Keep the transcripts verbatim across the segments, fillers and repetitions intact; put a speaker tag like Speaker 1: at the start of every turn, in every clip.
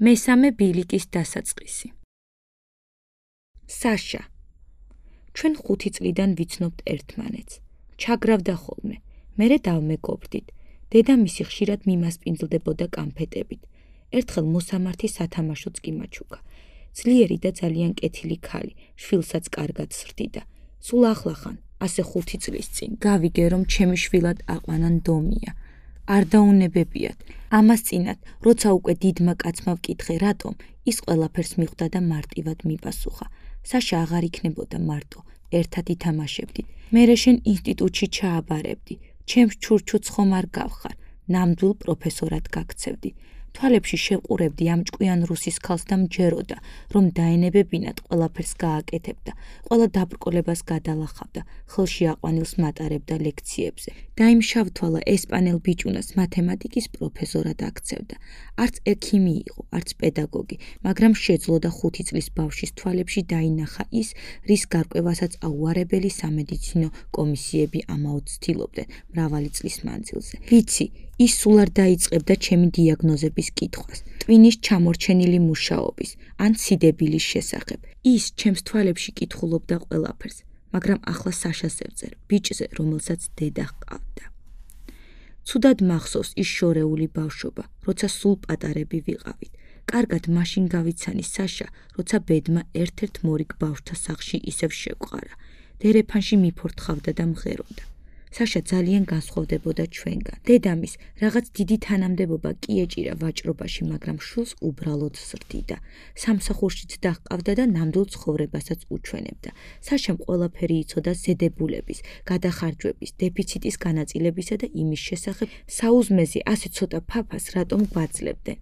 Speaker 1: მესამე ბილიკის დასაწყისი. საშა. ჩვენ ხუთი წლიდან ვიცნობთ ერთმანეთს. ჩაგრავდა ხოლმე. მერე დავმეგობრდით. დედამისი ხშირად მიმასპინძლდებოდა კამფეტებით. ერთხელ მოსამართი სათამაშოც კი მაჩუქა. ძლიერი და ძალიან კეთილი ქალი, შვილსაც კარგად სრდიდა. სულ ახლახან, ასე ხუთი წლის წინ, გავიგე რომ ჩემი შვილად აყვანან დომია. არ დაუნებებიათ. ამას წინათ, როცა უკვე დიდმა კაცმა ვკითხე რატომ, ის ყველაფერს მიხვდა და მარტივად მიპასუხა. საშა აღარ იქნებოდა მარტო, ერთად ითამაშებდით. მერე შენ ინსტიტუტში ჩააბარებდი. ჩემს ჩურჩუც ხომ არ გავხარ, ნამდვილ პროფესორად გაქცევდი. თვალებში შევყურებდი ამ ჭკვიან რუსის ქალს და მჯეროდა, რომ დაენებებინათ ყველაფერს გააკეთებდა, ყველა დაბრკოლებას გადალახავდა, ხელში აყვანილს მატარებდა ლექციებზე. დაიმშავთვალა ესპანელ ბიჭუნას მათემატიკის პროფესორად აქცევდა. არც ექიმი იყო, არც პედაგოგი, მაგრამ შეძლო და ხუთი წლის ბავშვის თვალებში დაინახა ის, რის გარკვევასაც აუარებელი სამედიცინო კომისიები ამაოდ ცდილობდნენ მრავალი წლის მანძილზე. ვიცი, ის სულ არ დაიწყებდა ჩემი დიაგნოზების კითხვას, ტვინის ჩამორჩენილი მუშაობის, ან სიდებილის შესახებ. ის ჩემს თვალებში კითხულობდა ყველაფერს, მაგრამ ახლა საშას ევწერ, ბიჭზე, რომელსაც დედა ჰყავდა. ცუდად მახსოვს ის შორეული ბავშვობა, როცა სულ პატარები ვიყავით. კარგად მაშინ გავიცანი საშა, როცა ბედმა ერთ-ერთ მორიგ ბავშვთა სახლში ისევ შეგვყარა. დერეფანში მიფორთხავდა და მღეროდა. საშა ძალიან განსხვავდებოდა ჩვენგან. დედამის რაღაც დიდი თანამდებობა კი ეჭირა ვაჭრობაში, მაგრამ შვილს უბრალოდ სრდიდა. სამსახურშიც დაჰყავდა და ნამდვილ ცხოვრებასაც უჩვენებდა. საშამ ყველაფერი იცოდა ზედებულების, გადახარჯვების, დეფიციტის განაწილებისა და იმის შესახებ, საუზმეზე ასე ცოტა ფაფას რატომ გვაძლებდნენ.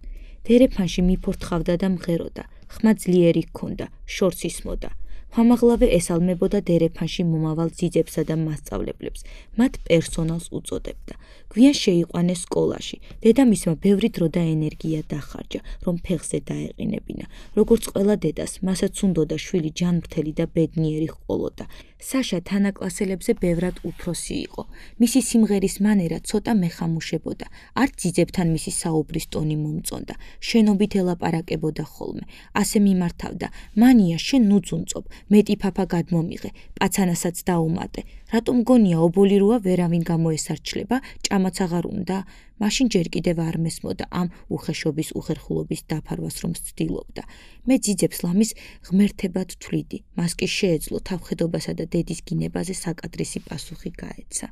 Speaker 1: დერეფანში მიფორთხავდა და მღეროდა. ხმა ძლიერი ჰქონდა, შორს ისმოდა. ხმამაღლავე ესალმებოდა დერეფანში მომავალ ძიძებსა და მასწავლებლებს, მათ პერსონალს უწოდებდა. გვიან შეიყვანეს სკოლაში. დედამისმა ბევრი დრო და ენერგია დახარჯა, რომ ფეხზე დაეყინებინა. როგორც ყველა დედას, მასაც უნდოდა შვილი ჯანმრთელი და ბედნიერი ჰყოლოდა. საშა თანაკლასელებზე ბევრად უფროსი იყო. მისი სიმღერის მანერა ცოტა მეხამუშებოდა. არც ძიძებთან მისი საუბრის ტონი მომწონდა. შენობით ელაპარაკებოდა ხოლმე. ასე მიმართავდა: მანია, შენ ნუძუნწობ, მეტი ფაფა გადმომიღე, პაცანასაც დაუმატე. რატომ გონია ობოლი როა ვერავინ გამოესარჩლება, ჭამაც აღარ უნდა? მაშინ ჯერ კიდევ არ მესმოდა ამ უხეშობის უხერხულობის დაფარვას რომ ცდილობდა. მე ძიძებს ლამის ღმერთებად თვლიდი, მას კი შეეძლო თავხედობასა და დედის გინებაზე საკადრისი პასუხი გაეცა.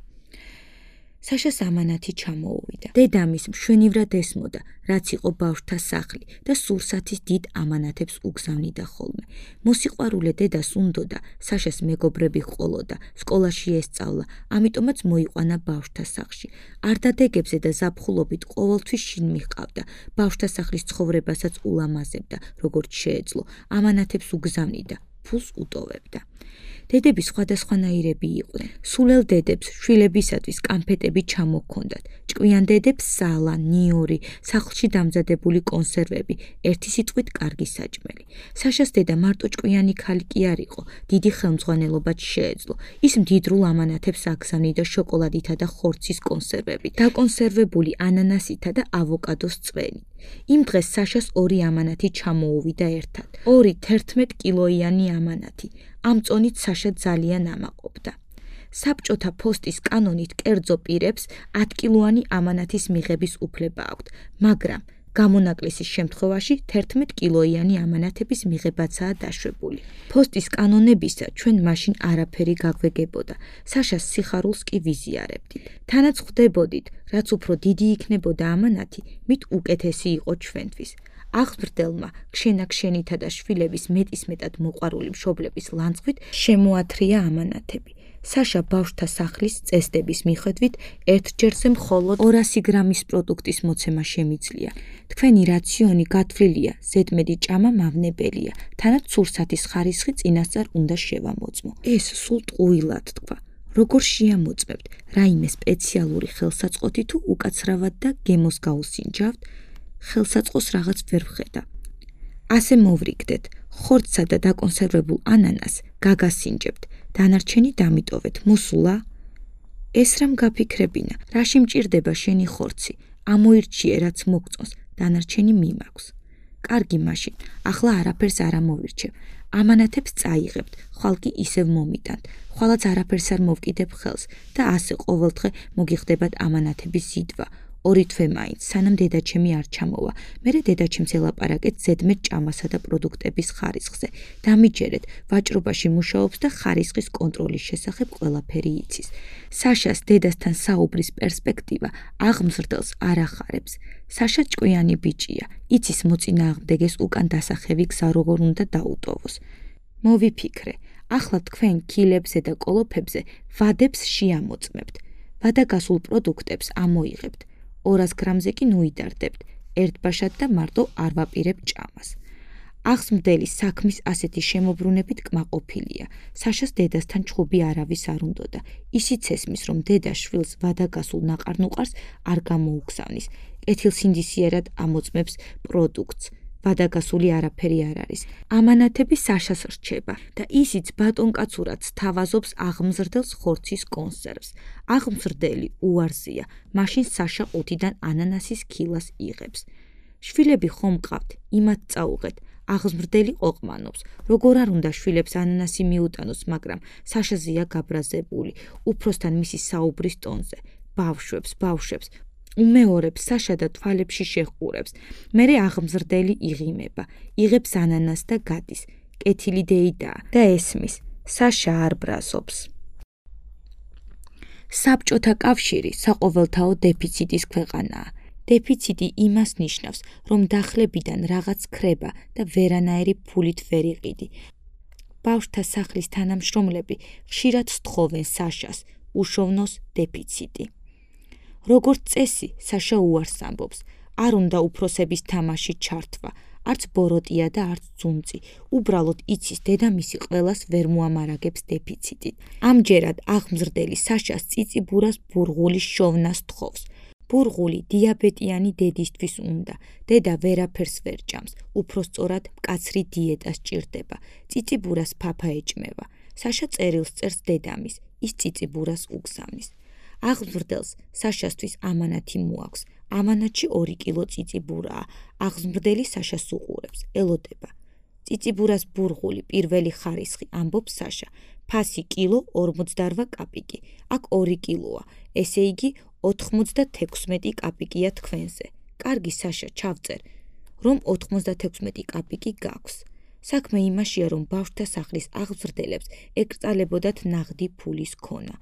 Speaker 1: საშას ამანათი ჩამოუვიდა. დედამის მშვენივრად ესმოდა, რაც იყო ბავშვთა სახლი და სურსათის დიდ ამანათებს უგზავნიდა ხოლმე. მოსიყვარულე დედას უნდოდა, საშას მეგობრები ჰყოლოდა, სკოლაში ესწავლა, ამიტომაც მოიყვანა ბავშვთა სახლში. არდადეგებზე და ზაფხულობით ყოველთვის შინ მიჰყავდა, ბავშვთა სახლის ცხოვრებასაც ულამაზებდა, როგორც შეეძლო, ამანათებს უგზავნიდა, ფულს უტოვებდა. დედები სხვადასხვანაირები იყვნენ. სულელ დედებს შვილებისათვის კამფეტები ჩამოჰქონდათ. ჭკვიან დედებს სალა, ნიორი, სახლში დამზადებული კონსერვები, ერთი სიტყვით კარგი საჭმელი. საშას დედა მარტო ჭკვიანი ქალი კი არ იყო, დიდი ხელმძღვანელობაც შეეძლო. ის მდიდრულ ამანათებს აგზავნიდა შოკოლადითა და ხორცის კონსერვებით, დაკონსერვებული ანანასითა და ავოკადოს წვენით. იმ დღეს საშას ორი ამანათი ჩამოუვიდა ერთად. ორი თერთმეტ კილოიანი ამანათი. ამ წონით საშა ძალიან ამაყობდა. საბჭოთა ფოსტის კანონით კერძო პირებს ათკილოანი ამანათის მიღების უფლება აქვთ, მაგრამ გამონაკლისის შემთხვევაში თერთმეტ კილოიანი ამანათების მიღებაცაა დაშვებული. ფოსტის კანონებისა ჩვენ მაშინ არაფერი გაგვეგებოდა. საშას სიხარულს კი ვიზიარებდით. თანაც ხვდებოდით, რაც უფრო დიდი იქნებოდა ამანათი, მით უკეთესი იყო ჩვენთვის. აღზრდელმა ქშენაქშენითა და შვილების მეტისმეტად მოყვარული მშობლების ლანძღვით შემოათრია ამანათები. საშა ბავშვთა სახლის წესდების მიხედვით ერთჯერზე მხოლოდ ორასი გრამის პროდუქტის მოცემა შემიძლია. თქვენი რაციონი გათვლილია, ზედმეტი ჭამა მავნებელია, თანაც სურსათის ხარისხი წინასწარ უნდა შევამოწმო. ეს სულ ტყუილად თქვა. როგორ შეამოწმებთ, რაიმე სპეციალური ხელსაწყოთი თუ უკაცრავად და გემოს გაუსინჯავთ? ხელსაწყოს რაღაც ვერ ვხედა. ასე მოვრიგდეთ, ხორცსა და დაკონსერვებულ ანანას გაგასინჯებთ, დანარჩენი დამიტოვეთ, მოსულა? ეს რამ გაფიქრებინა, რაში მჭირდება შენი ხორცი, ამოირჩიე რაც მოგწონს, დანარჩენი მიმაქვს. კარგი მაშინ, ახლა არაფერს არ ამოვირჩევ. ამანათებს წაიღებთ, ხვალ კი ისევ მომიტანთ. ხვალაც არაფერს არ მოვკიდებ ხელს და ასე ყოველდღე მოგიხდებათ ამანათების ზიდვა. ორი თვე მაინც, სანამ დედაჩემი არ ჩამოვა. მერე დედაჩემს ელაპარაკეთ ზედმეტ ჭამასა და პროდუქტების ხარისხზე. დამიჯერეთ, ვაჭრობაში მუშაობს და ხარისხის კონტროლის შესახებ ყველაფერი იცის. საშას დედასთან საუბრის პერსპექტივა აღმზრდელს არ ახარებს. საშა ჭკვიანი ბიჭია, იცის მოწინააღმდეგეს უკან დასახევი გზა როგორ უნდა დაუტოვოს. მოვიფიქრე, ახლა თქვენ კილებზე და კოლოფებზე ვადებს შეამოწმებთ. ვადაგასულ პროდუქტებს ამოიღებთ. ორას გრამზე კი ნუიდარდებთ, ერთბაშად და მარტო არ ვაპირებთ ჭამას. აღზრდელი საქმის ასეთი შემოbrunებით კმაყოფილია. საშას დედასთან ჩხუბი არავის არ უნდოდა. ისიც ესმის, რომ დედა შვილს ვადაგასულ ნაყარ-ნუყარს არ გამოუგზავნის. კეთილსინდისიერად ამოწმებს პროდუქტს. ვადაგასული არაფერი არ არის. ამანათები საშას რჩება და ისიც ბატონკაცურად სთავაზობს აღმზრდელს ხორცის კონსერვს. აღმზრდელი უარზია, მაშინ საშა ყუთიდან ანანასის ქილას იღებს. შვილები ხომ მყავთ, იმათ წაუღეთ. აღმზრდელი ყოყმანობს. როგორ არ უნდა შვილებს ანანასი მიუტანოს, მაგრამ საშაზეა გაბრაზებული, უფროსთან მისი საუბრის ტონზე. ბავშვებს, ბავშვებს უმეორებს საშა და თვალებში შეჰყურებს. მერე აღმზრდელი იღიმება, იღებს ანანას და გადის. კეთილი დეიდაა და ესმის, საშა არ ბრაზობს. საბჭოთა კავშირი საყოველთაო დეფიციტის ქვეყანაა. დეფიციტი იმას ნიშნავს, რომ დახლებიდან რაღაც ქრება და ვერანაირი ფულით ვერ იყიდი. ბავშვთა სახლის თანამშრომლები ხშირად სთხოვენ საშას, უშოვნოს დეფიციტი. როგორც წესი, საშა უარს ამბობს, არ უნდა უფროსების თამაში ჩართვა, არც ბოროტია და არც ძუნწი. უბრალოდ იცის დედამისი ყველას ვერ მოამარაგებს დეფიციტით. ამჯერად აღმზრდელი საშას წიწიბურას ბურღულის შოვნას თხოვს. ბურღული დიაბეტიანი დედისთვის უნდა. დედა ვერაფერს ვერ ჭამს, უფროსწორად მკაცრი დიეტა სჭირდება. წიწიბურას ფაფა ეჭმევა. საშა წერილს წერს დედამის, ის წიწიბურას უგზავნის. აღმზრდელს საშასთვის ამანათი მოაქვს. ამანათში ორი კილო წიწიბურაა. აღმზრდელი საშას უყურებს, ელოდება. წიწიბურას ბურღული პირველი ხარისხი, ამბობს საშა. ფასი კილო ორმოცდაორ კაპიკი. აქ ორი კილოა, ესე იგი ოთხმოცდათექვსმეტი კაპიკია თქვენზე. კარგი საშა, ჩავწერ, რომ ოთხმოცდათექვსმეტი კაპიკი გაქვს. საქმე იმაშია, რომ ბავშვთა სახლის აღმზრდელებს ეკრძალებოდათ ნაღდი ფულის ქონა.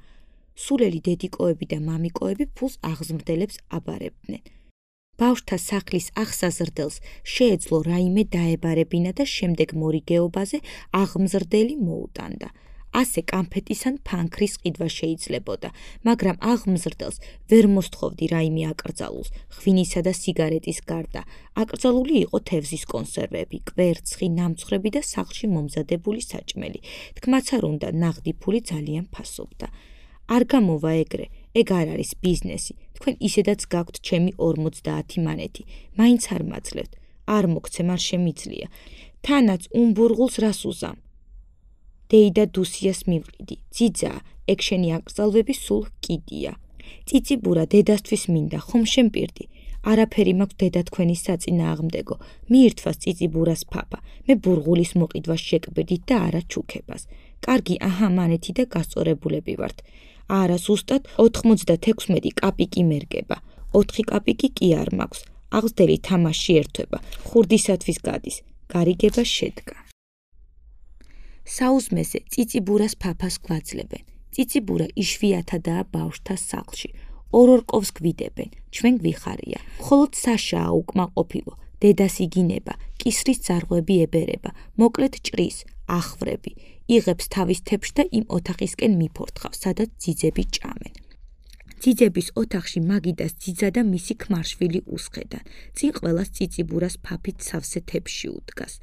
Speaker 1: სულელი დედიკოები და მამიკოები ფულს აღმზრდელებს აბარებდნენ. ბავშვთა სახლის აღსაზრდელს შეეძლო რაიმე დაებარებინა და შემდეგ მორიგეობაზე აღმზრდელი მოუტანდა. ასე კამფეტის ან ფანქრის ყიდვა შეიძლებოდა, მაგრამ აღმზრდელს ვერ მოსთხოვდი რაიმე აკრძალულს, ღვინისა და სიგარეტის გარდა. აკრძალული იყო თევზის კონსერვები, კვერცხი, ნამცხრები და სახლში მომზადებული საჭმელი. თქმაც არ უნდა, ნაღდი ფული ძალიან ფასობდა. არ გამოვა ეგრე, ეგ არ არის ბიზნესი. თქვენ ისედაც გაქვთ ჩემი ორმოცდაათი მანეთი, მაინც არ მაძლევთ. არ მოგცემ, არ შემიძლია. თანაც უმბურღულს რას უზამ? დეიდა დუსიას მივყიდი. ძიძაა, ეგ შენი აკრძალვები სულ კიდია. წიწიბურა დედასთვის მინდა, ხომ შემპირდი? არაფერი მაქვს დედა თქვენის საწინააღმდეგო. მიირთვას წიწიბურას ფაფა. მე ბურღულის მოყიდვას შეკბირდით და არა ჩუქებას. კარგი, აჰა, მანეთი და გასწორებულები ვართ. არა, ზუსტად ოთხმოცდათექვსმეტი კაპიკი მერგება. ოთხი კაპიკი კი არ მაქვს. აღზრდელი თამაში ერთვება. ხურდისათვის გადის. გარიგება შედგა. საუზმეზე წიწიბურას ფაფას გვაძლებენ. წიწიბურა იშვიათადაა ბავშვთა სახლში. ორ-ორ კოვს გვიდებენ, ჩვენ გვიხარია. მხოლოდ საშაა უკმაყოფილო. დედას იგინება, კისრის ძარღვები ებერება, მოკლედ ჭრის, ახვრები. იღებს თავის თეფშს და იმ ოთახისკენ მიფორთხავს, სადაც ძიძები ჭამენ. ძიძების ოთახში მაგიდას ძიძა და მისი ქმარშვილი უსხედან. წინ ყველას წიწიბურას ფაფით სავსე თეფში უდგას.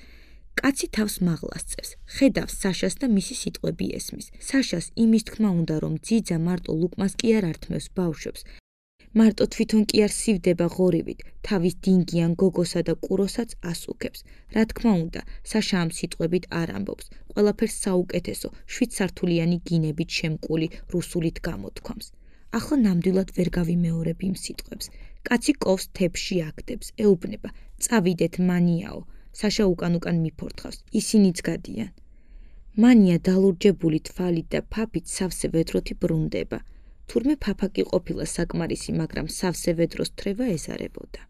Speaker 1: კაცი თავს მაღლას წევს, ხედავს საშას და მისი სიტყვები ესმის. საშას იმის თქმა უნდა, რომ ძიძა მარტო ლუკმას კი არ ართმევს ბავშვებს, მარტო თვითონ კი არ სივდება ღორივით, თავის დინგიან გოგოსა და კუროსაც ასუქებს. რა თქმა უნდა, საშა ამ სიტყვებით არ ამბობს, ყველაფერს საუკეთესო, შვიდსართულიანი გინებით შემკული რუსულით გამოთქვამს. ახლა ნამდვილად ვერ გავიმეორებ იმ სიტყვებს. კაცი კოვს თებში აგდებს, ეუბნება, წავიდეთ მანიაო, საშა უკან-უკან მიფორთხავს, ისინიც გადიან. მანია დალურჯებული თვალით და ფაფით სავსე ვედროთი ბრუნდება. თურმე ფაფაკი ყოფილა საკმარისი, მაგრამ სავსე ვედროს თრევა ეზარებოდა.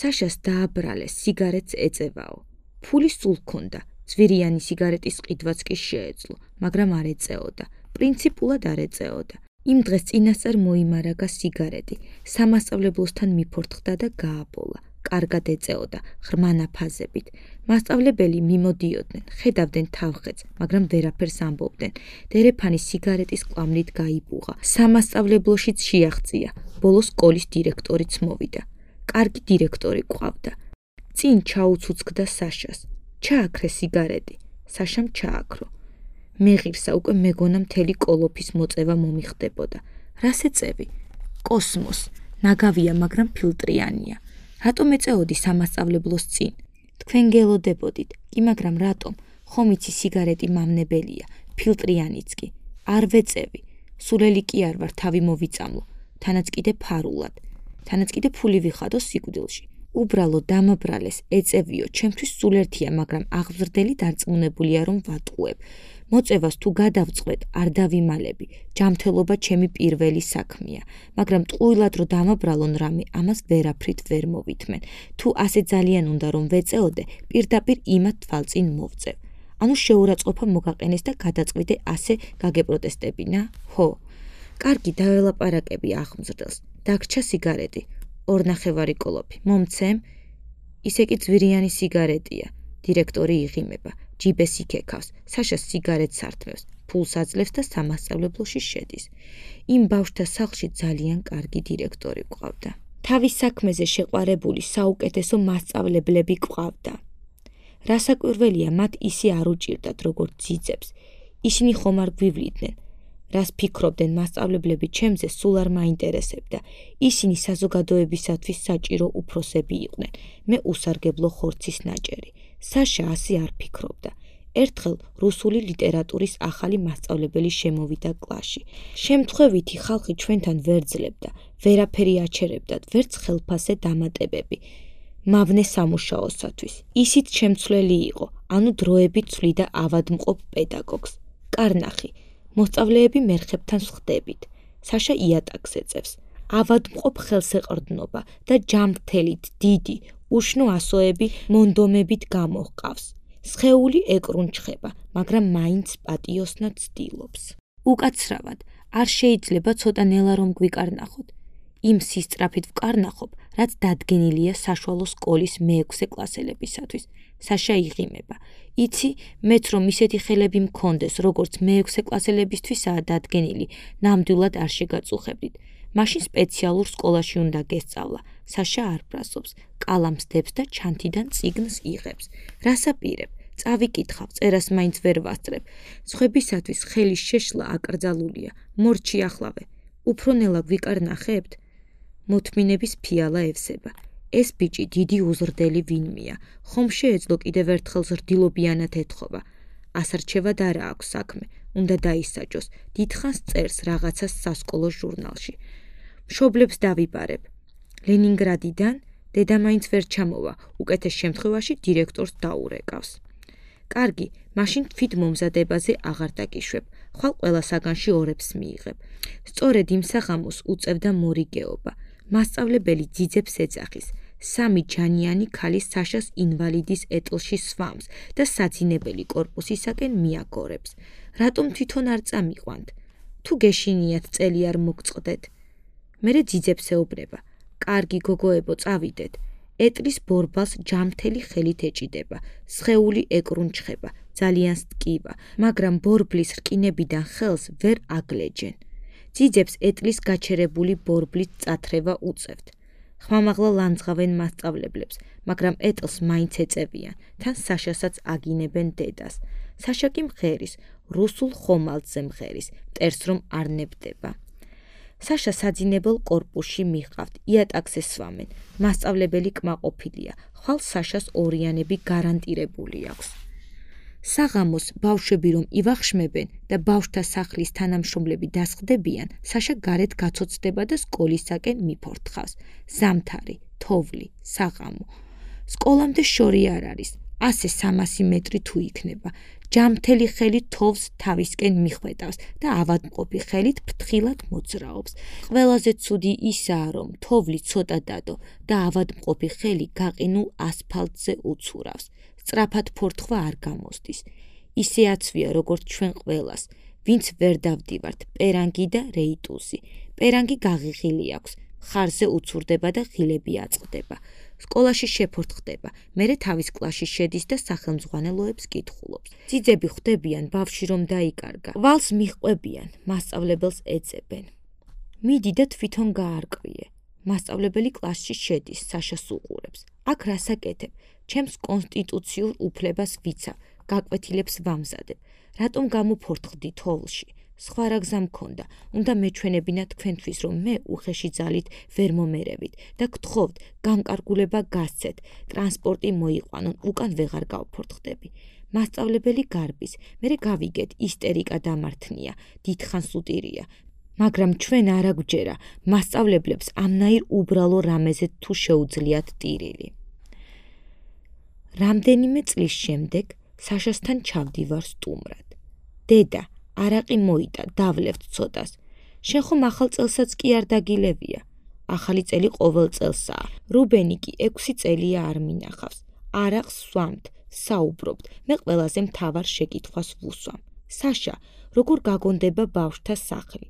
Speaker 1: საშას დააბრალეს, სიგარეტს ეწევაო. ფული სულ ჰქონდა, ძვირიანი სიგარეტის ყიდვაც კი შეეძლო, მაგრამ არ ეწეოდა, პრინციპულად არ ეწეოდა. იმ დღეს წინასწარ მოიმარაგა სიგარეტი, სამასწავლებლოსთან მიფორთხდა და გააბოლა. კარგად ეწეოდა, ღრმა ნაფაზებით. მასწავლებელი მიმოდიოდნენ, ხედავდნენ თავხეთს, მაგრამ ვერაფერს ამბობდნენ. დერეფანი სიგარეტის კვამლით გაიბუღა. სამასწავლებლოშიც შეაღწია, ბოლოს სკოლის დირექტორიც მოვიდა. კარგი დირექტორი ყავდა. წინ ჩაუცუცქდა საშას. ჩააქრე სიგარეტი, საშამ ჩააქრო. მეღირსა უკვე მეგონა მთელი კოლოფის მოწევა მომიხდებოდა. რას ეწევი? კოსმოს. ნაგავია, მაგრამ ფილტრიანია. რატომ ეწეოდი სამასწავლებლოს წინ? თქვენ გელოდებოდით, კი მაგრამ რატომ? ხომ იცი სიგარეტი მამნებელია, ფილტრიანიც კი. არ ვეწევი. სულელი კი არ ვარ, თავი მოვიწამლო. თანაც კიდე ფარულად. თანაც კიდე ფული ვიხადო სიკვდილში. უბრალო დამაბრალეს, ეწევიო, ჩემთვის სულ ერთია, მაგრამ აღზრდელი დარწმუნებულია, რომ ვატყუებ. მოწევას თუ გადავწყვეტ, არ დავიმალები. ჯამთელობა ჩემი პირველი საქმეა, მაგრამ ტყუილად რო დამაბრალონ რამე, ამას ვერაფრით ვერ მოვითმენ. თუ ასე ძალიან უნდა რომ ვეწეოდე, პირდაპირ იმათ თვალწინ მოვწევ. ანუ შეურაცხყოფა მოგაყენეს და გადაწყვიტე ასე გაგეპროტესტებინა? ხო. კარგი, დაველაპარაკები აღმზრდელს. დაგრჩა სიგარეტი. ორნახევარი კოლოფი. მომცემ? ისე კი ძვირიანი სიგარეტია. დირექტორი იღიმება. ჯიბეს იქეკავს, საშას სიგარეტს ართმევს, ფულს აძლევს და სამასწავლებლოში შედის. იმ ბავშვთა სახლში ძალიან კარგი დირექტორი ყავდა. თავის საქმეზე შეყვარებული საუკეთესო მასწავლებლები ყავდა. რასაკვირველია, მათ ისე არ უჭირდათ, როგორც ძიძებს. ისინი ხომ არ გვივლიდნენ. რას ფიქრობდნენ მასწავლებლები ჩემზე, სულ არ მაინტერესებდა. ისინი საზოგადოებისათვის საჭირო უფროსები იყვნენ. მე უსარგებლო ხორცის ნაჭერი. საშა ასე არ ფიქრობდა. ერთხელ რუსული ლიტერატურის ახალი მასწავლებელი შემოვიდა კლასში. შემთხვევითი ხალხი ჩვენთან ვერ ძლებდა, ვერაფერი აჩერებდათ, ვერც ხელფასე დამატებები. მავნე სამუშაოსათვის. ისიც შემცვლელი იყო, ანუ დროებით ცვლიდა ავადმყოფ პედაგოგს. კარნახი, მოსწავლეები მერხებთან ვხდებით. საშა იატაკს ეწევს. ავადმყოფ ხელსეყრდნობა და ჯამრთელით დიდი, უშნო ასოები მონდომებით გამოჰყავს. სხეული ეკრუნჩხება, მაგრამ მაინც პატიოსნად ცდილობს. უკაცრავად, არ შეიძლება ცოტა ნელა რომ გვიკარნახოთ. იმ სისწრაფით ვკარნახობ, რაც დადგენილია საშუალო სკოლის მეექვსე კლასელებისათვის. საშა იღიმება. იცი, მეც რომ ისეთი ხელები მქონდეს, როგორც მეექვსე კლასელებისთვისაა დადგენილი, ნამდვილად არ შეგაწუხებდით. მაშინ სპეციალურ სკოლაში უნდა გესწავლა. საშა არ ბრასობს, კალამს დებს და ჩანთიდან წიგნს იღებს. რასაპირებ? წავიკითხავ, წერას მაინც ვერ ვასწრებ. სხვებისათვის ხელის შეშლა აკრძალულია. მორჩი ახლავე. უფრო ნელა გვიკარნახებთ? მოთმინების ფიალა ევსება. ეს ბიჭი დიდი უზრდელი ვინმეა. ხომ შეეძლო კიდევ ერთხელ ზრდილობიანად ეთხოვა. ასარჩევად არა აქვს საქმე. უნდა დაისაჯოს. დიდხანს წერს რაღაცას სასკოლო ჟურნალში. მშობლებს დავიბარებ. ლენინგრადიდან დედა მაინც ვერ ჩამოვა, უკეთეს შემთხვევაში დირექტორს დაურეკავს. კარგი, მაშინ თვით მომზადებაზე აღარ დაგიშვებ, ხვალ ყველა საგანში ორებს მიიღებ. სწორედ იმ საღამოს უწევდა მორიგეობა. მასწავლებელი ძიძებს ეძახის. სამი ჯანიანი ქალი საშას ინვალიდის ეტლში სვამს და საძინებელი კორპუსისაკენ მიაგორებს. რატომ თვითონ არ წამიყვანთ? თუ გეშინიათ წელი არ მოგწყდეთ. მერე ძიძებს ეუბნება. კარგი გოგოებო, წავიდეთ. ეტლის ბორბალს ჯამთელი ხელით ეჭიდება. სხეული ეკრუნჩხება, ძალიან სტკივა, მაგრამ ბორბლის რკინებიდან ხელს ვერ აგლეჯენ. ძიძებს ეტლის გაჩერებული ბორბლით წათრევა უწევთ. ხმამაღლა ლანძღავენ მასწავლებლებს, მაგრამ ეტლს მაინც ეწევიან, თან საშასაც აგინებენ დედას. საშა კი მღერის, რუსულ ხომალდზე მღერის, მტერს რომ არ ნებდება. საშა საძინებელ კორპუსში მიყავთ, იატაკს ესვამენ, მასწავლებელი კმაყოფილია, ხვალ საშას ორიანები გარანტირებული აქვს. საღამოს ბავშვები რომ ივახშმებენ და ბავშვთა სახლის თანამშრომლები დასხდებიან, საშა გარეთ გაცოცდება და სკოლისაკენ მიფორთხავს. ზამთარი, თოვლი, საღამო. სკოლამდე შორი არ არის. ასე სამასი მეტრი თუ იქნება. ჯამთელი ხელით თოვს თავისკენ მიხვედავს და ავადმყოფი ხელით ფრთხილად მოძრაობს. ყველაზე ცუდი ისაა, რომ თოვლი ცოტა დადო და ავადმყოფი ხელი გაყინულ ასფალტზე უცურავს. სწრაფად ფორთხვა არ გამოსდის. ისე აცვია, როგორც ჩვენ ყველას, ვინც ვერ დავდივართ პერანგი და რეიტუსი. პერანგი გაღიღილი აქვს, ხარზე უცურდება და ღილები აწყდება. სკოლაში შეფორთხდება, მერე თავის კლასში შედის და სახელმძღვანელოებს კითხულობს. ძიძები ხვდებიან ბავშვი რომ დაიკარგა. ვალს მიჰყვებიან, მასწავლებელს ეძებენ. მიდი და თვითონ გაარკვიე. მასწავლებელი კლასში შედის, საშას უყურებს. აქ რას აკეთებ? ჩემს კონსტიტუციურ უფლებას ვიცავ, გაკვეთილებს ვამზადებ. რატომ გამოფორთხდი თოვლში? სხვა რა გზა მქონდა, უნდა მეჩვენებინა თქვენთვის, რომ მე უხეში ძალით ვერ მომერევით და გთხოვთ, განკარგულება გასცეთ, ტრანსპორტი მოიყვანონ, უკან ვეღარ გავფორთხდები. მასწავლებელი გარბის, მერე გავიგეთ, ისტერიკა დამართნია, დიდხანს უტირია, მაგრამ ჩვენ არ აგვჯერა, მასწავლებლებს ამნაირ უბრალო რამეზე თუ შეუძლიათ ტირილი. რამდენიმე წლის შემდეგ საშასთან ჩავდივარ სტუმრად. დედა, არაყი მოიტა, დავლევთ ცოტას. შენ ხომ ახალ წელსაც კი არ დაგილევია. ახალი წელი ყოველ წელსაა. რუბენი კი ექვსი წელია არ მინახავს. არაყს სვამთ, საუბრობთ. მე ყველაზე მთავარ შეკითხვას ვუსვამ. საშა, როგორ გაგონდება ბავშვთა სახლი?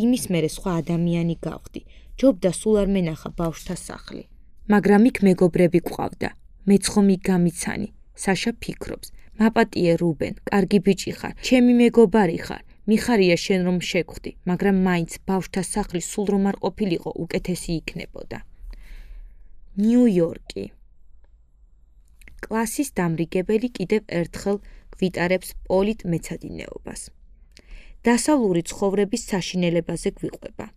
Speaker 1: იმის მერე სხვა ადამიანი გავხდი. ჯობდა სულ არ მენახა ბავშვთა სახლი. მაგრამ იქ მეგობრები გვყავდა. მეც ხომ იქ გამიცანი. საშა ფიქრობს. მაპატიე რუბენ, კარგი ბიჭი ხარ, ჩემი მეგობარი ხარ, მიხარია შენ რომ შეგვხვდი, მაგრამ მაინც ბავშვთა სახლი სულ რომ არ ყოფილიყო, უკეთესი იქნებოდა. ნიუ-იორკი. კლასის დამრიგებელი კიდევ ერთხელ გვიტარებს პოლიტ მეცადინეობას. დასავლური ცხოვრების საშინელებაზე გვიყვება.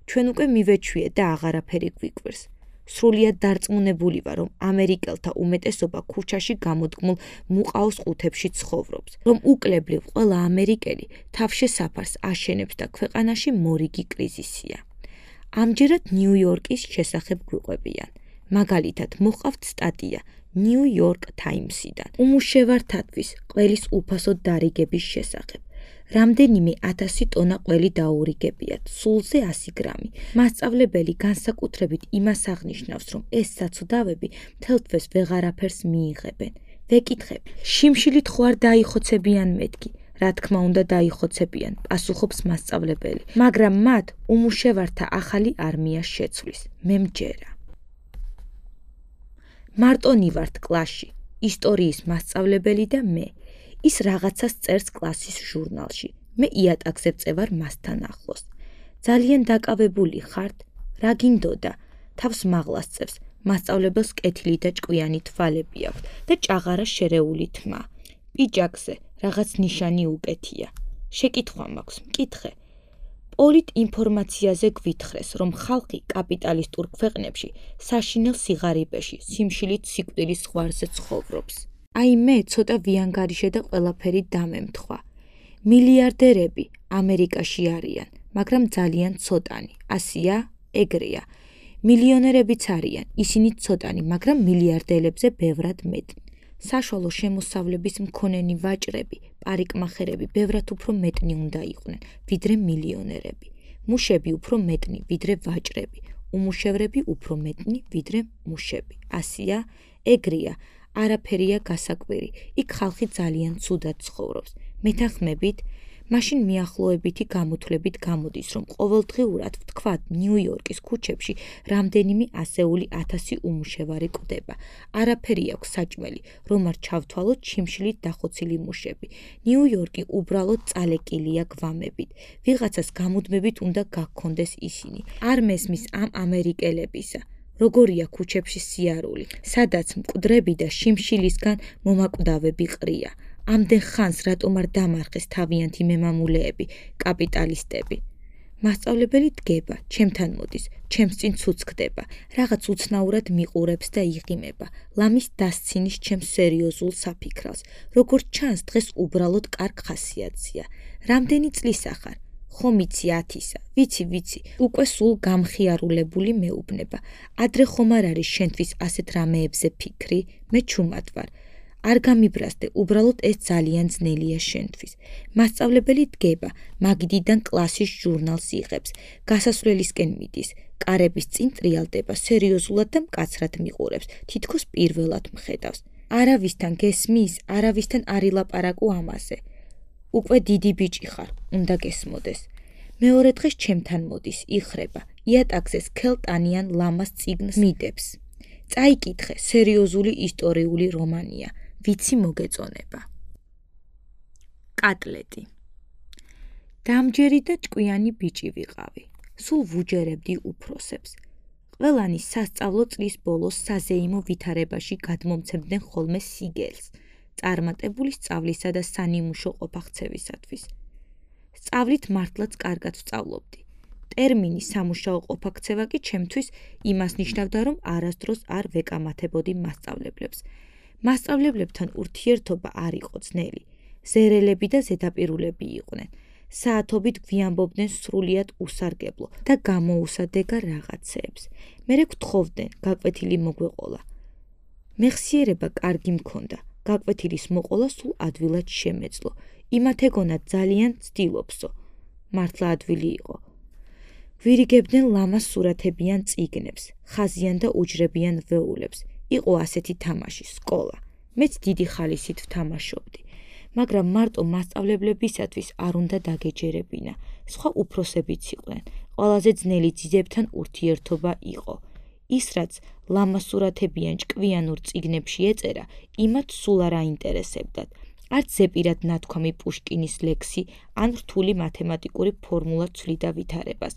Speaker 1: ჩვენ უკვე მივეჩვიეთ და აღარაფერი გვიკვირს. სრულიად დარწმუნებული ვარ, რომ ამერიკელთა უმეტესობა ქუჩაში გამოდგმულ მუყაოს ყუთებში ცხოვრობს, რომ უკლებლივ ყველა ამერიკელი თავშესაფარს აშენებს და ქვეყანაში მორიგი კრიზისია. ამჯერად ნიუ-იორკის შესახებ გვიყვებიან. მაგალითად, მოყავთ სტატია ნიუ-იორკ ტაიმსიდან. უმუშევართათვის ყველის უფასო დარიგების შესახებ. რამდენიმე ათასი ტონა ყველი დაურიგებიათ, სულზე ასი გრამი. მასწავლებელი განსაკუთრებით იმას აღნიშნავს, რომ ეს საცუდავები მთელ თვეს ვეღარაფერს მიიღებენ. ვეკითხებ, შიმშილით ხო არ დაიხოცებიან მეთქი? რა თქმა უნდა დაიხოცებიან, პასუხობს მასწავლებელი, მაგრამ მათ უმუშევართა ახალი არმია შეცვლის. მე მჯერა. მარტონი ვართ კლასში, ისტორიის მასწავლებელი და მე. ის რაღაცას წერს კლასის ჟურნალში. მე იატაკზე ვწევარ მასთან ახლოს. ძალიან დაკავებული ხართ? რა გინდოდა? თავს მაღლას წევს. მასწავლებელს კეთილი და ჭკვიანი თვალები აქვს და ჭაღარა შერეული თმა. პიჯაკზე რაღაც ნიშანი უკეთია. შეკითხვა მაქვს, მკითხე. პოლიტ ინფორმაციაზე გვითხრეს, რომ ხალხი კაპიტალისტურ ქვეყნებში საშინელ სიღარიბეში, სიმშილით სიკვდილის ზღვარზე ცხოვრობს. აი მე ცოტა ვიანგარიშე და ყველაფერი დამემთხვა. მილიარდერები ამერიკაში არიან, მაგრამ ძალიან ცოტანი. ასია, ეგრეა. მილიონერებიც არიან, ისინი ცოტანი, მაგრამ მილიარდელებზე ბევრად მეტი. საშუალო შემოსავლების მქონენი ვაჭრები, პარიკმახერები ბევრად უფრო მეტნი უნდა იყვნენ, ვიდრე მილიონერები. მუშები უფრო მეტნი, ვიდრე ვაჭრები. უმუშევრები უფრო მეტნი, ვიდრე მუშები. ასია, ეგრეა. არაფერია გასაკვირი. იქ ხალხი ძალიან ცუდად ცხოვრობს. მეთანხმებით, მაშინ მიახლოებითი გამოთვლებით გამოდის, რომ ყოველდღიურად ვთქვათ ნიუ-იორკის ქუჩებში რამდენიმე ასეული ათასი უმუშევარი კვდება. არაფერი აქვს საჭმელი, რომ არ ჩავთვალოთ შიმშილით დახოცილი მუშები. ნიუ-იორკი უბრალოდ წალეკილია გვამებით. ვიღაცას გამუდმებით უნდა გაგქონდეს ისინი. არ მესმის ამ ამერიკელებისა. როგორია ქუჩებში სიარული, სადაც მკვდრები და შიმშილისგან მომაკვდავები ყრია. ამდენ ხანს რატომ არ დამარხეს თავიანთი მემამულეები, კაპიტალისტები. მასწავლებელი დგება, ჩემთან მოდის, ჩემს წინ ცუცქდება, რაღაც უცნაურად მიყურებს და იღიმება, ლამის დასცინის ჩემს სერიოზულ საფიქრალს. როგორც ჩანს, დღეს უბრალოდ კარგ ხასიათზეა. რამდენი წლისა ხარ? ხომ იცი ათისა, ვიცი, ვიცი, უკვე სულ გამხიარულებული მეუბნება. ადრე ხომ არ არის შენთვის ასეთ რამეებზე ფიქრი? მე ჩუმად ვარ. არ გამიბრასდე, უბრალოდ ეს ძალიან ძნელია შენთვის. მასწავლებელი დგება, მაგიდიდან კლასის ჟურნალს იღებს, გასასვლელისკენ მიდის, კარების წინ ტრიალდება, სერიოზულად და მკაცრად მიყურებს, თითქოს პირველად მხედავს. არავისთან გესმის, არავისთან არ ილაპარაკო ამაზე. უკვე დიდი ბიჭი ხარ, უნდა გესმოდეს. მეორე დღეს ჩემთან მოდის, იხრება, იატაკზე სქელტანიან ლამას წიგნს მიდებს. წაიკითხე, სერიოზული ისტორიული რომანია. ვიცი მოგეწონება. კატლეტი. დამჯერი და ჭკვიანი ბიჭი ვიყავი. სულ ვუჯერებდი უფროსებს. ყველანი სასწავლო წლის ბოლოს საზეიმო ვითარებაში გადმომცემდნენ ხოლმე სიგელს, წარმატებული სწავლისა და სანიმუშო ყოფახცევისათვის. სწავლით მართლაც კარგად ვსწავლობდი. ტერმინი სამუშაო ყოფაქცევა კი ჩემთვის იმას ნიშნავდა, რომ არასდროს არ ვეკამათებოდი მასწავლებლებს. მასწავლებლებთან ურთიერთობა არ იყო ძნელი. ზერელები და ზედაპირულები იყვნენ. საათობით გვიამბობდნენ სრულიად უსარგებლო და გამოუსადეგა რაღაცეებს. მერე გთხოვდნენ, გაკვეთილი მოგვეყოლა. მეხსიერება კარგი მქონდა, გაკვეთილის მოყოლა სულ ადვილად შემეძლო. იმათ ეგონა ძალიან ცდილობსო. მართლა ადვილი იყო. ვირიგებდნენ ლამას სურათებიან წიგნებს, ხაზიან და უჯრებიან ვეულებს. იყო ასეთი თამაში, სკოლა. მეც დიდი ხალისით ვთამაშობდი. მაგრამ მარტო მასწავლებლებისათვის არ უნდა დაგეჯერებინა. სხვა უფროსებიც იყვნენ. ყველაზე ძნელი ძიძებთან ურთიერთობა იყო. ის, რაც ლამასურათებიან ჭკვიანურ წიგნებში ეწერა, იმათ სულ არ აინტერესებდათ. არც ზეპირად ნათქვამი პუშკინის ლექსი ან რთული მათემატიკური ფორმულა ცვლიდა ვითარებას.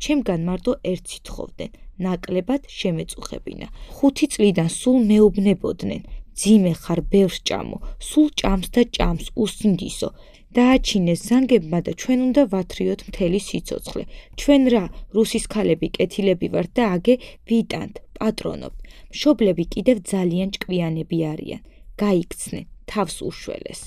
Speaker 1: ჩემგან მარტო ერთს ითხოვდნენ, ნაკლებად შემეწუხებინა. ხუთი წლიდან სულ მეუბნებოდნენ, ძიმე ხარ, ბევრს ჭამო, სულ ჭამს და ჭამს, უსინდისო. დააჩინეს ზანგებმა და ჩვენ უნდა ვათრიოთ მთელი სიცოცხლე. ჩვენ რა, რუსის ქალები კეთილები ვართ და აგე ვიტანთ, პატრონობთ. მშობლები კიდევ ძალიან ჭკვიანები არიან. გაიქცნენ, თავს უშველეს.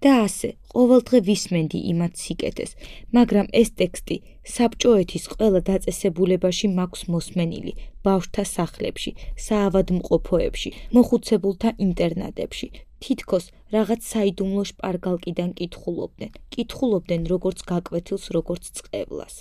Speaker 1: და ასე, ყოველდღე ვისმენდი იმათ სიკეთეს, მაგრამ ეს ტექსტი საბჭოეთის ყველა დაწესებულებაში მაქვს მოსმენილი, ბავშვთა სახლებში, საავადმყოფოებში, მოხუცებულთა ინტერნატებში. თითქოს რაღაც საიდუმლო შპარგალკიდან კითხულობდნენ, კითხულობდნენ როგორც გაკვეთილს, როგორც წყევლას.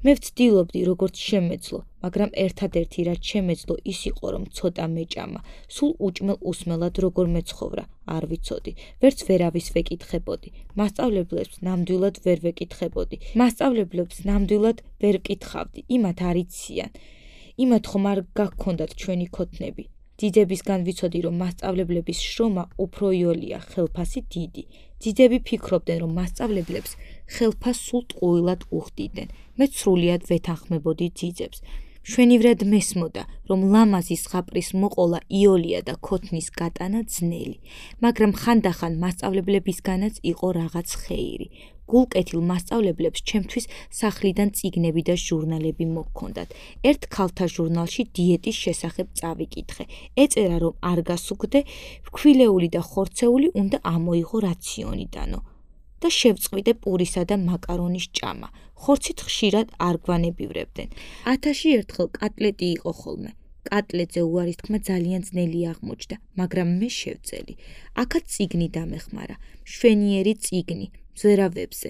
Speaker 1: მე ვცდილობდი, როგორც შემეძლო, მაგრამ ერთადერთი რაც შემეძლო ის იყო, რომ ცოტა მეჭამა, სულ უჭმელ უსმელად როგორ მეცხოვრა, არ ვიცოდი, ვერც ვერავის ვეკითხებოდი, მასწავლებლებს ნამდვილად ვერ ვეკითხებოდი, მასწავლებლებს ნამდვილად ვერ ვკითხავდი, იმათ არ იციან, იმათ ხომ არ გაგქონდათ ჩვენი ქოთნები. ძიძებისგან ვიცოდი, რომ მასწავლებლების შრომა უფრო იოლია, ხელფასი დიდი. ძიძები ფიქრობდნენ, რომ მასწავლებლებს ხელფას სულ ტყუილად უხდიდნენ. მე სრულიად ვეთანხმებოდი ძიძებს. მშვენივრად მესმოდა, რომ ლამაზი ზღაპრის მოყოლა იოლია და ქოთნის გატანა ძნელი, მაგრამ ხანდახან მასწავლებლებისგანაც იყო რაღაც ხეირი. გულკეთილ მასწავლებლებს ჩემთვის სახლიდან წიგნები და ჟურნალები მოჰქონდათ. ერთ ქალთა ჟურნალში დიეტის შესახებ წავიკითხე. ეწერა, რომ არ გასუგდე, ფქვილეული და ხორცეული უნდა ამოიღო რაციონიდანო და შევწყვიდე პურისა და მაკარონის ჭამა. ხორცით ხშირად არ გვანებივრებდნენ. ათაში ერთხელ კატლეტი იყო ხოლმე. კატლეტზე უარის თქმა ძალიან ძნელი აღმოჩნდა, მაგრამ მე შევწელი. აქაც წიგნი დამეხმარა, მშვენიერი წიგნი, მზერავებზე.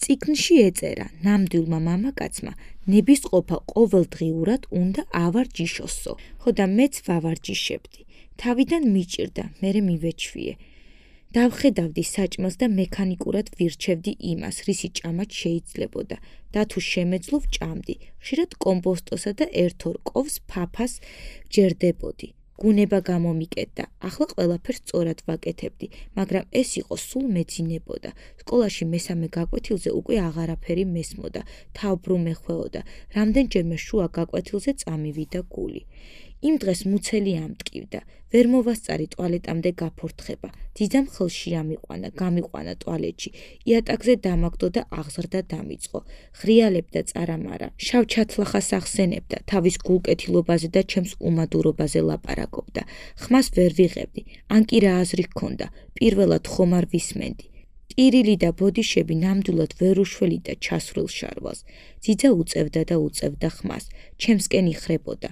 Speaker 1: წიგნში ეწერა, ნამდვილმა მამაკაცმა ნებისყოფა ყოველდღიურად უნდა ავარჯიშოსო. ხო და მეც ვავარჯიშებდი. თავიდან მიჭირდა, მერე მივეჩვიე. დავხედავდი საჭმელს და მექანიკურად ვირჩევდი იმას, რისი ჭამაც შეიძლებოდა და თუ შემეძლო ვჭამდი. ხშირად კომპოსტოსა და ერთ-ორ კოვს ფაფას ჯერდებოდი. გუნება გამომიკეთდა, ახლა ყველაფერს სწორად ვაკეთებდი, მაგრამ ეს იყო სულ მეძინებოდა. სკოლაში მესამე გაკვეთილზე უკვე აღარაფერი მესმოდა, თავბრუ მეხვეოდა, რამდენჯერმე შუა გაკვეთილზე წამივიდა გული. იმ დღეს მუცელი ამტკივდა, ვერ მოვასწარი ტუალეტამდე გაფორთხება. ძიძამ ხელში ამიყვანა, გამიყვანა ტუალეტში, იატაკზე დამაგდო და აღზრდა დამიწყო. ღრიალებდა წარამარა, შავ ჩათლახას ახსენებდა, თავის გულკეთილობაზე და ჩემს უმადურობაზე ლაპარაკობდა. ხმას ვერ ვიღებდი, ან კი რა აზრი ჰქონდა, პირველად ხომ არ ვისმენდი. ტირილი და ბოდიშები ნამდვილად ვერ უშველიდა ჩასვრილ შარვალს. ძიძა უწევდა და უწევდა ხმას, ჩემსკენ იხრებოდა.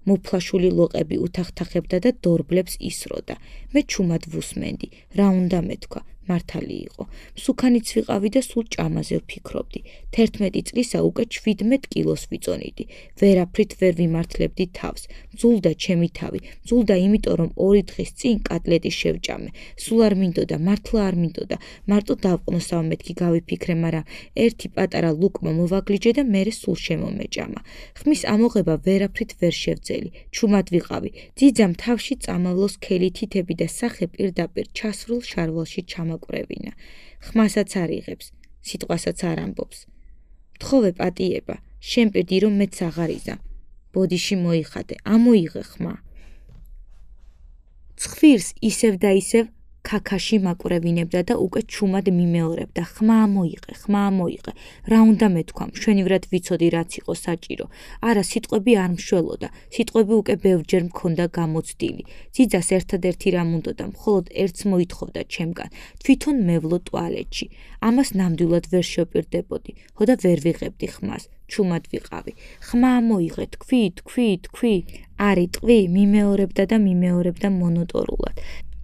Speaker 1: მოფლაშული ლოყები უთახთახებდა და დორბლებს ისროდა. მე ჩუმად ვუსმენდი, რა უნდა მეთქვა, მართალი იყო. მსუქანიც ვიყავი და სულ ჭამაზე ვფიქრობდი. თერთმეტი წლისა უკვე შვიდმეტ კილოს ვიწონიდი. ვერაფრით ვერ ვიმართლებდი თავს. მძულდა ჩემი თავი, მძულდა იმიტომ რომ ორი დღის წინ კატლეტი შევჭამე. სულ არ მინდოდა, მართლა არ მინდოდა. მარტო დავყნოსავ მეთქი გავიფიქრე, მაგრამ ერთი პატარა ლუკმა მოვაგლიჯე და მერე სულ შემომეჭამა. ხმის ამოღება ვერაფრით ვერ შევძელი. ჩუმად ვიყავი. ძიძამ თავში წამავლოს ქელი თითები და სახე პირდაპირ ჩასრულ შარვალში ჩამაკვრევინა. ხმასაც არ იღებს, სიტყვასაც არ ამბობს. მთხოვე პატიება, შენ პირდი რომ მეც აღარ იზა. ბოდიში მოიხადე, ამოიღე ხმა. ცხვირს ისევ და ისევ ქაქაში მაკვრევინებდა და უკვე ჩუმად მიმეორებდა. ხმა ამოიღე, ხმა ამოიღე. რა უნდა მეთქვა, მშვენივრად ვიცოდი რაც იყო საჭირო. არა, სიტყვები არ მშველოდა. სიტყვები უკვე ბევრჯერ მქონდა გამოცდილი. ძიძას ერთადერთი რამ უნდოდა, მხოლოდ ერთს მოითხოვდა ჩემგან. თვითონ მევლო ტუალეტში. ამას ნამდვილად ვერ შევპირდებოდი. ხო და ვერ ვიღებდი ხმას. ჩუმად ვიყავი. ხმა ამოიღე, თქვი, თქვი, თქვი. არ იტყვი, მიმეორებდა და მიმეორებდა მონოტორულად.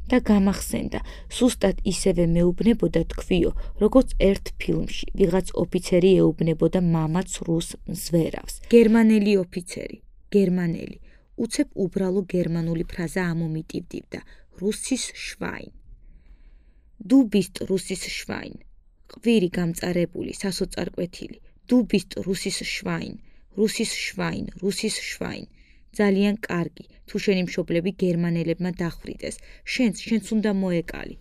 Speaker 1: და გამახსენდა, სუსტად ისევე მეუბნებოდა თქვიო, როგორც ერთ ფილმში, ვიღაც ოფიცერი ეუბნებოდა მამაც რუს მზვერავს. გერმანელი ოფიცერი, გერმანელი, უცებ უბრალო გერმანული ფრაზა ამომიტივდივდა, რუსის შვაინ. Du bist რუსის შვაინ. ყვირი გამწარებული, სასოწარკვეთილი. Du bist რუსის შვაინ, რუსის შვაინ, რუსის შვაინ. ძალიან კარგი, თუ შენი მშობლები გერმანელებმა დახვრიტეს, შენც, შენც უნდა მოეკალი.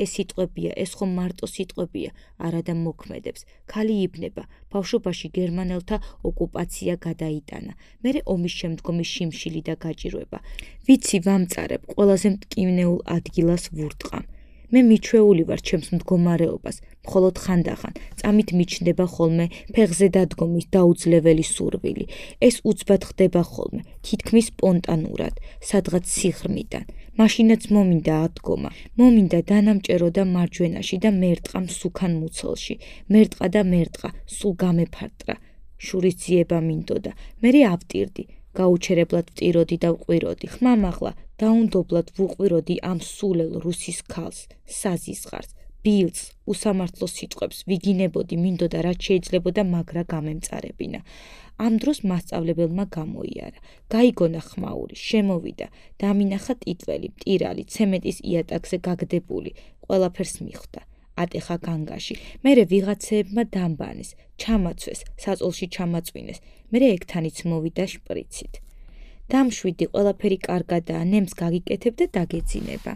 Speaker 1: ეს სიტყვებია, ეს ხომ მარტო სიტყვებია, არადა მოქმედებს. ქალი იბნება, ბავშვობაში გერმანელთა ოკუპაცია გადაიტანა. მერე ომის შემდგომი შიმშილი და გაჭირვება. ვიცი ვამწარებ, ყველაზე მტკივნეულ ადგილას ვურტყამ. მე მიჩვეული ვარ ჩემს მდგომარეობას, მხოლოდ ხანდახან, წამით მიჩნდება ხოლმე ფეხზე დადგომის დაუძლეველი სურვილი. ეს უცბად ხდება ხოლმე, თითქმის სპონტანურად, სადღაც სიღრმიდან. მაშინაც მომინდა ადგომა, მომინდა დანამჭერო და მარჯვენაში და მერტყა მსუქან მუცელში. მერტყა და მერტყა, სულ გამეფარტრა. შურის ძიება მინდოდა, მერე ავტირდი. გაუჩერებლად ვტიროდი და ვყვიროდი. ხმამაღლა დაუნდობლად ვუყვიროდი ამ სულელ რუსის ქალს, საზისხარს, ბილს, უსამართლო სიტყვებს ვიგინებოდი, მინდოდა რაც შეიძლებოდა მაგრა გამემწარებინა. ამ დროს მასწავლებელმა გამოიარა. გაიგონა ხმაური, შემოვიდა, დამინახა ტიტველი, მტირალი, ცემენტის იატაკზე გაგდებული, ყველაფერს მიხვდა. ატეხა განგაში. მერე ვიღაცეებმა დამბანეს, ჩამაცვეს, საწოლში ჩამაწვინეს. მერე ეგთანიც მოვიდა შპრიცით. დამშვიდი, ყველაფერი კარგადაა, ნემს გაგიკეთებ და დაგეძინება.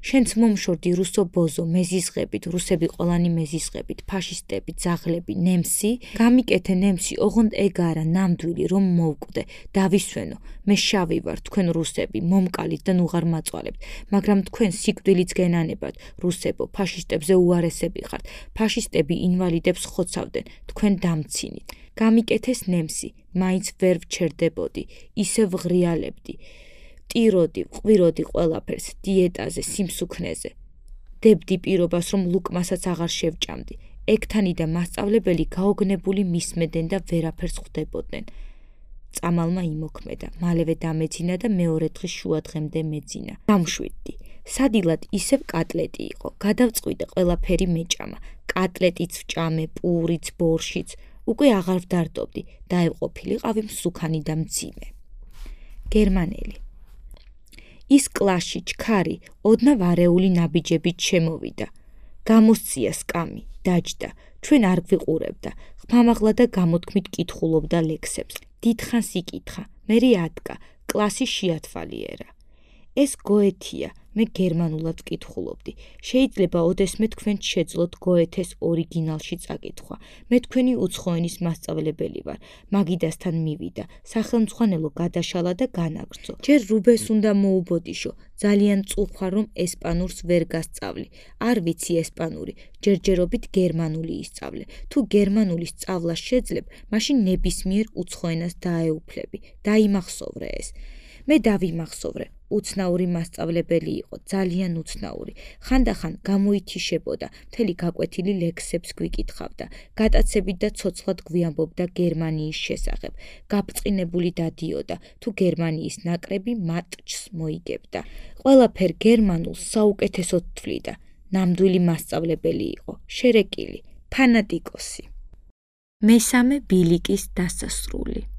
Speaker 1: შენც მომშორდი რუსო ბოზო, მეზიზღებით, რუსები ყველანი მეზიზღებით, ფაშისტები, ძაღლები, ნემსი, გამიკეთე ნემსი, ოღონდ ეგ არა, ნამდვილი, რომ მოვკვდე, დავისვენო, მე შავი ვარ, თქვენ რუსები, მომკალით და ნუღარ მაწვალებთ, მაგრამ თქვენ სიკვდილიც გენანებათ, რუსებო, ფაშისტებზე უარესები ხართ, ფაშისტები ინვალიდებს ხოცავდნენ, თქვენ დამცინით. გამიკეთეს ნემსი, მაინც ვერ ვჩერდებოდი, ისე ვღრიალებდი. ტიროდი, ყვიროდი ყველაფერს, დიეტაზე, სიმსუქნეზე. დებდი პირობას, რომ ლუკმასაც აღარ შევჭამდი. ეგთანი და მასწავლებელი გაოგნებული მისმედნენ და ვერაფერს ხვდებოდნენ. წამალმა იმოქმედა, მალევე დამეძინა და მეორე დღის შუადღემდე მეძინა. დამშვიდდი. სადილად ისევ კატლეტი იყო, გადავწყვიტე ყველაფერი მეჭამა. კატლეტიც ვჭამე, პურიც, ბორშიც. უკვე აღარ ვდარდობდი, დაევყოფილიყავი მსუქანი და მძიმე. გერმანელი. ის კლასში ჩქარი, ოდნავ არეული ნაბიჯებით შემოვიდა. გამოსწია სკამი, დაჯდა, ჩვენ არ გვიყურებდა, ხმამაღლა და გამოთქმით კითხულობდა ლექსებს. დიდხანს იკითხა, მერე ადგა, კლასი შეათვალიერა. ეს გოეთია, მე გერმანულად ვკითხულობდი. შეიძლება ოდესმე თქვენ შეძლოთ გოეთეს ორიგინალში წაკითხვა. მე თქვენი უცხოენის მასწავლებელი ვარ. მაგიდასთან მივიდა. სახელმძღვანელო გადაშალა და განაგრძო. ჯერ რუბეს უნდა მოუბოდიშო. ძალიან წუხარ რომ ესპანურს ვერ გასწავლი. არ ვიცი ესპანური. ჯერჯერობით გერმანული ისწავლე. თუ გერმანული სწავლა შეძლებ, მაშინ ნებისმიერ უცხოენას დაეუფლები. დაიმახსოვრე ეს. მე დავიმახსოვრე. უცნაური მასწავლებელი იყო, ძალიან უცნაური. ხანდახან გამოითიშებოდა, მთელი გაკვეთილი ლექსებს გვიკითხავდა, გატაცებით და ცოცხლად გვიამბობდა გერმანიის შესახებ. გაბრწყინებული დადიოდა, თუ გერმანიის ნაკრები მატჩს მოიგებდა. ყველაფერ გერმანულს საუკეთესოდ თვლიდა. ნამდვილი მასწავლებელი იყო, შერეკილი, ფანატიკოსი. მესამე ბილიკის დასასრული.